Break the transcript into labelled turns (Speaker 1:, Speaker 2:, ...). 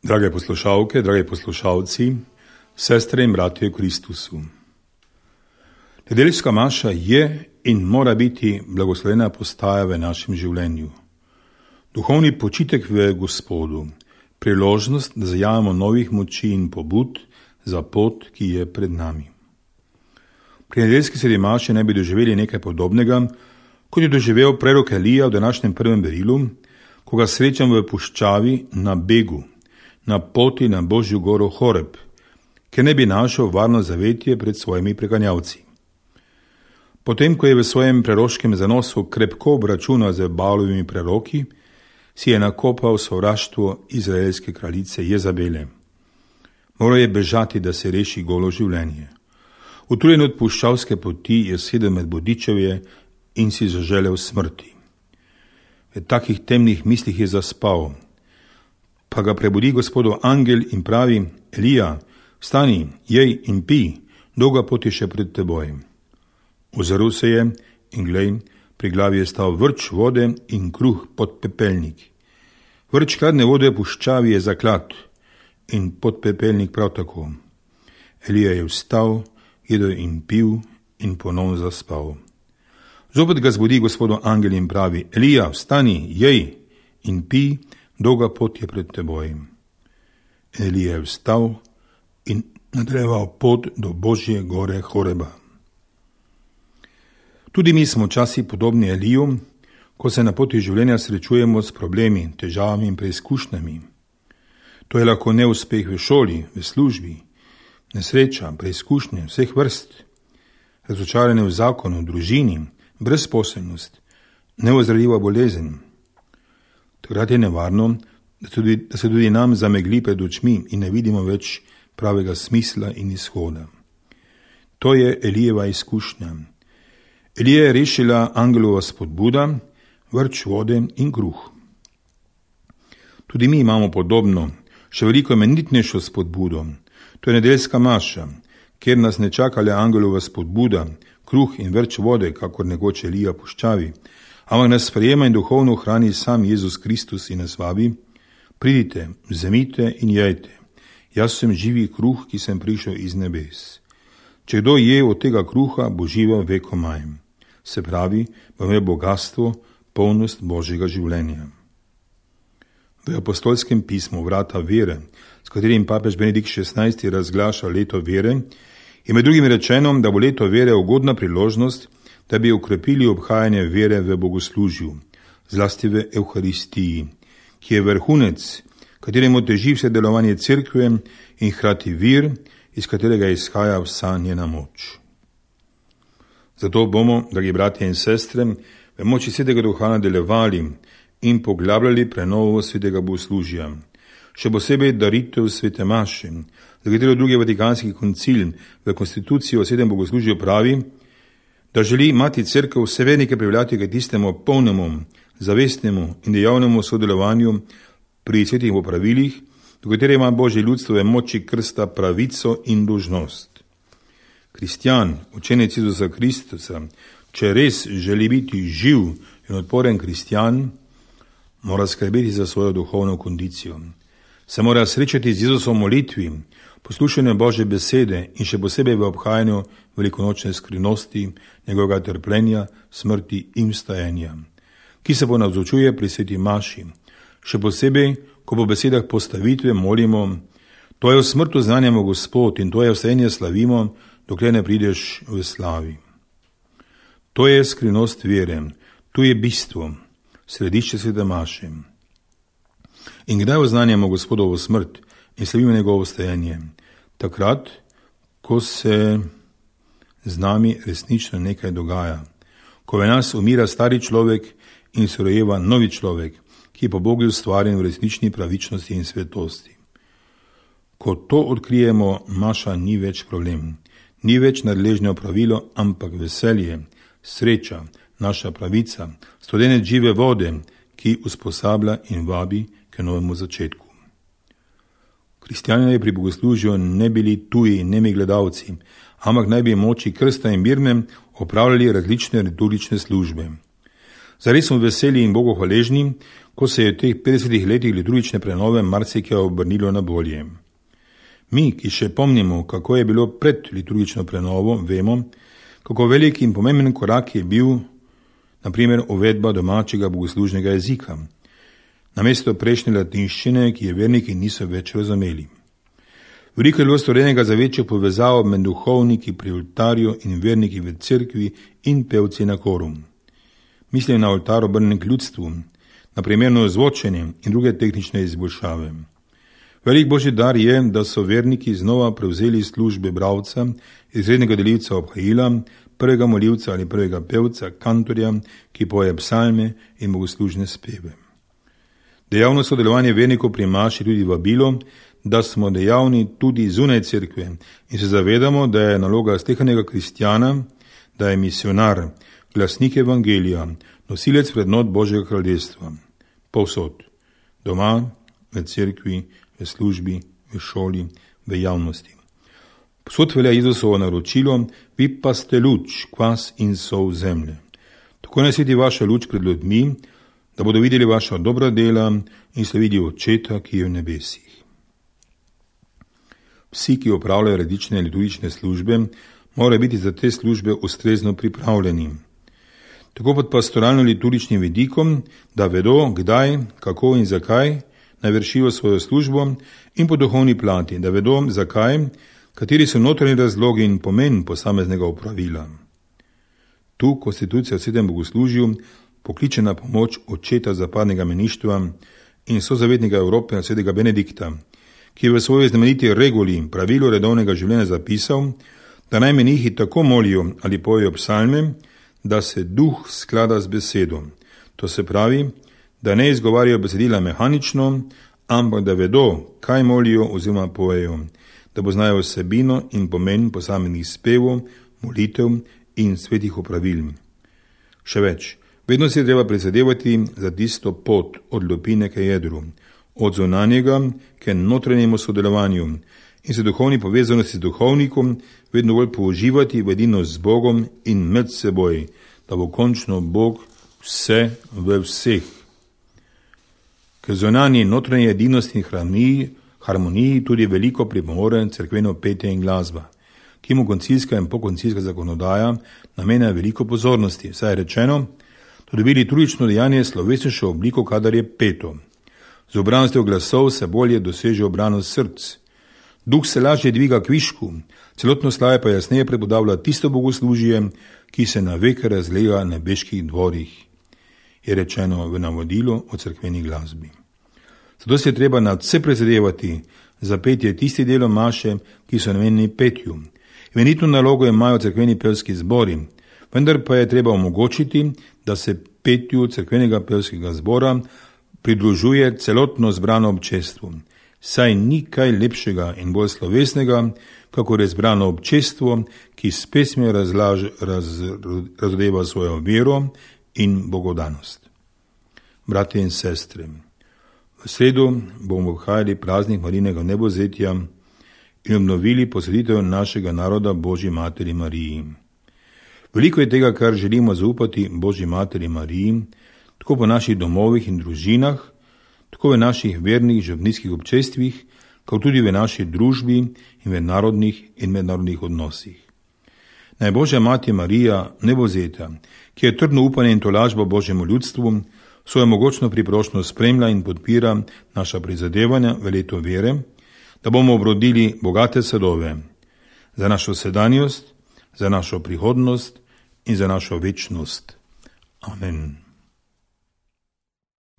Speaker 1: Drage poslušalke, dragi poslušalci, sestre in bratje v Kristusu. Nedeljska maša je in mora biti blagoslovena postaja v našem življenju. Duhovni počitek v Gospodu, priložnost, da zajamemo novih moči in pobud za pot, ki je pred nami. Pri nedeljski sredi maše ne bi doživeli nekaj podobnega, kot je doživel prerok Elija v današnjem prvem berilu, ko ga srečam v puščavi na begu, na poti na Božjo goro Horeb, ker ne bi našel varno zavetje pred svojimi preganjavci. Potem, ko je v svojem preroškem zanosu krepko obračunal z Baalovimi preroki, si je nakopal sovraštvo izraelske kraljice Jezabele. Moral je bežati, da se reši golo življenje. Utrujen od puščavske poti je sedel med bodičevje in si zaželel smrti. V takih temnih mislih je zaspal, pa ga prebudi Gospodov angel in pravi: Elija, vstani, jej in pij, dolga pot je še pred teboj. Ozrl se je in glej, pri glavi je stal vrč vode in kruh podpepelnik. Vrč hladne vode v puščavi je zaklad in podpepelnik prav tako. Elija je vstal, jedel in pil in ponovno zaspal. Zopet ga zbudi Gospodov angel in pravi: Elija, vstani, jej in pij, dolga pot je pred teboj. Elija je vstal in nadaljeval pot do Božje gore Horeba. Tudi mi smo včasih podobni Eliju, ko se na poti življenja srečujemo s problemi, težavami in preizkušnjami. To je lahko neuspeh v šoli, v službi, nesreča, preizkušnje vseh vrst, razočaranje v zakonu, v družini, brezposelnost, neozdravljiva bolezen. Takrat je nevarno, da se tudi nam zamegli pred očmi in ne vidimo več pravega smisla in izhoda. To je Elijeva izkušnja. Elija je rešila angelova spodbuda, vrč vode in kruh. Tudi mi imamo podobno, še veliko imenitnejšo spodbudo. To je nedeljska maša, kjer nas ne čaka le angelova spodbuda, kruh in vrč vode, kakor nekoč Elija puščavi, ampak nas sprejema in duhovno hrani sam Jezus Kristus in nas vabi: pridite, vzemite in jejte. Jaz sem živi kruh, ki sem prišel iz nebes. Če kdo je od tega kruha, bo živel vekomaj. Se pravi, bo imel bogastvo, polnost Božjega življenja. V apostolskem pismu Vrata vere, s katerim papež Benedikt XVI razglaša leto vere, je med drugim rečeno, da bo leto vere ugodna priložnost, da bi okrepili obhajanje vere v bogoslužju, zlasti v Evharistiji, ki je vrhunec, kateremu teži vse delovanje cerkve in hkrati vir, iz katerega izhaja vsa njena moč. Zato bomo, dragi bratje in sestre, v moči Svetega Duha nadaljevali in poglabljali prenovo svetega bogoslužja, še posebej daritev svete maše, za katero drugi vatikanski koncil v konstituciji o svetem bogoslužju pravi, da želi imati cerkev vse vernike pripeljati k tistemu polnemu, zavestnemu in dejavnemu sodelovanju pri svetih popravilih, do katere ima Božje ljudstvo v moči krsta pravico in dolžnost. Kristjan, učenec Jezusa Kristusa, če res želi biti živ in odporen kristjan, mora skrbeti za svojo duhovno kondicijo. Se mora srečati z Jezusom v molitvi, poslušanju Božje besede in še posebej v obhajanju velikonočne skrivnosti, njegovega trpljenja, smrti in vstajenja, ki se ponavzočuje pri sveti maši. Še posebej, ko po besedah postavitve molimo: to je v smrtu znanjamo Gospod in to je vstajenje slavimo, dokler ne prideš v slavi. To je skrivnost vere, tu je bistvo, središče svete maše. In kdaj oznanjamo Gospodovo smrt in slavimo njegovo vstajenje? Takrat, ko se z nami resnično nekaj dogaja, ko v nas umira stari človek in se rojeva novi človek, ki je po Bogu ustvarjen v resnični pravičnosti in svetosti. Ko to odkrijemo, maša ni več problem, ni več nadležno pravilo, ampak veselje, sreča, naša pravica, studenec žive vode, ki usposablja in vabi k novemu začetku. Kristjani pri bogoslužju ne bili tuji, nemi gledalci, ampak naj bi moči krsta in birme opravljali različne liturgične službe. Zares smo veseli in Bogu hvaležni, ko se je v teh 50 letih liturgične prenove marsikaj obrnilo na bolje. Mi, ki še pomnimo, kako je bilo pred liturgično prenovo, vemo, kako velik in pomemben korak je bil, na primer, uvedba domačega bogoslužnega jezika, namesto prejšnje latinščine, ki je verniki niso več razumeli. Veliko je bilo storjenega za večjo povezavo med duhovniki pri oltarju in verniki v cerkvi in pevci na koru. Mislim na oltar obrnjen k ljudstvu, na primerno ozvočenje in druge tehnične izboljšave. Velik božji dar je, da so verniki znova prevzeli službe bralca, izrednega delivca obhajila, prvega molivca ali prvega pevca, kantorja, ki poje psalme in bogoslužne speve. Dejavno sodelovanje vernikov pri maši tudi vabilo, da smo dejavni tudi zunaj cerkve in se zavedamo, da je naloga slehernika kristjana, da je misionar, glasnik evangelija, nosilec vrednot Božjega kraljestva. Povsod, doma, v cerkvi, v službi, v šoli, v javnosti. Povsod velja Jezusovo naročilo, vi pa ste luč, kvas in sol zemlje. Tako naj sveti vaša luč pred ljudmi, da bodo videli vaša dobra dela in slavili Očeta, ki je v nebesih. Vsi, ki opravljajo različne liturgične službe, morajo biti za te službe ustrezno pripravljeni. Tako pod pastoralno-liturgičnim vidikom, da vedo, kdaj, kako in zakaj naj vršijo svojo službo, in po duhovni plati, da vedo, zakaj, kateri so notranji razlogi in pomen posameznega opravila. Tu konstitucija v Svetem bogoslužju pokliče na pomoč očeta zapadnega meništva in sozavetnika Evrope svetega Benedikta, ki je v svoji znameniti reguli pravilo redovnega življenja zapisal, da naj menihi tako molijo ali pojejo psalme, da se duh sklada z besedo. To se pravi, da ne izgovarjajo besedila mehanično, ampak da vedo, kaj molijo oziroma pojejo, da poznajo vsebino in pomen posameznih spevov, molitev in svetih opravil. Še več, vedno si je treba prizadevati za tisto pot od lupine k jedru, od zunanjega k notranjemu sodelovanju in se duhovni povezanosti z duhovnikom vedno bolj použivati v edinost z Bogom in med seboj, da bo končno Bog vse v vseh. K zunanji notranji edinosti in harmoniji tudi veliko pripomore cerkveno petje in glasba, ki mu koncilska in pokoncilska zakonodaja namenja veliko pozornosti, saj je rečeno, da dobili liturgično dejanje slovesnejšo obliko, kadar je peto. Z obranostjo glasov se bolje doseže obranost src. Duh se lažje dviga k višku, celotno slavje pa jasneje prepodavlja tisto bogoslužje, ki se na veke razlega na nebeških dvorih, je rečeno v navodilu o cerkveni glasbi. Zato se je treba nadvse prizadevati za petje tisti delov maše, ki so namenjeni petju. Imenitno nalogo imajo cerkveni pevski zbori, vendar pa je treba omogočiti, da se petju cerkvenega pevskega zbora pridružuje celotno zbrano občestvo. Saj ni kaj lepšega in bolj slovesnega, kakor je zbrano občestvo, ki s pesmijo razodeva svojo vero in bogodanost. Bratje in sestre, v sredo bomo obhajali praznik Marijinega vnebovzetja in obnovili posvetitev našega naroda Božji materi Mariji. Veliko je tega, kar želimo zaupati Božji materi Mariji, tako po naših domovih in družinah, tako v naših vernih župnijskih občestvih, kot tudi v naši družbi in v narodnih in mednarodnih odnosih. Naj Božja mati Marija vnebovzeta, ki je trdno upanje in tolažba Božjemu ljudstvu, svojo mogočno priprošnjo spremlja in podpira naša prizadevanja v leto vere, da bomo obrodili bogate sadove za našo sedanjost, za našo prihodnost in za našo večnost. Amen.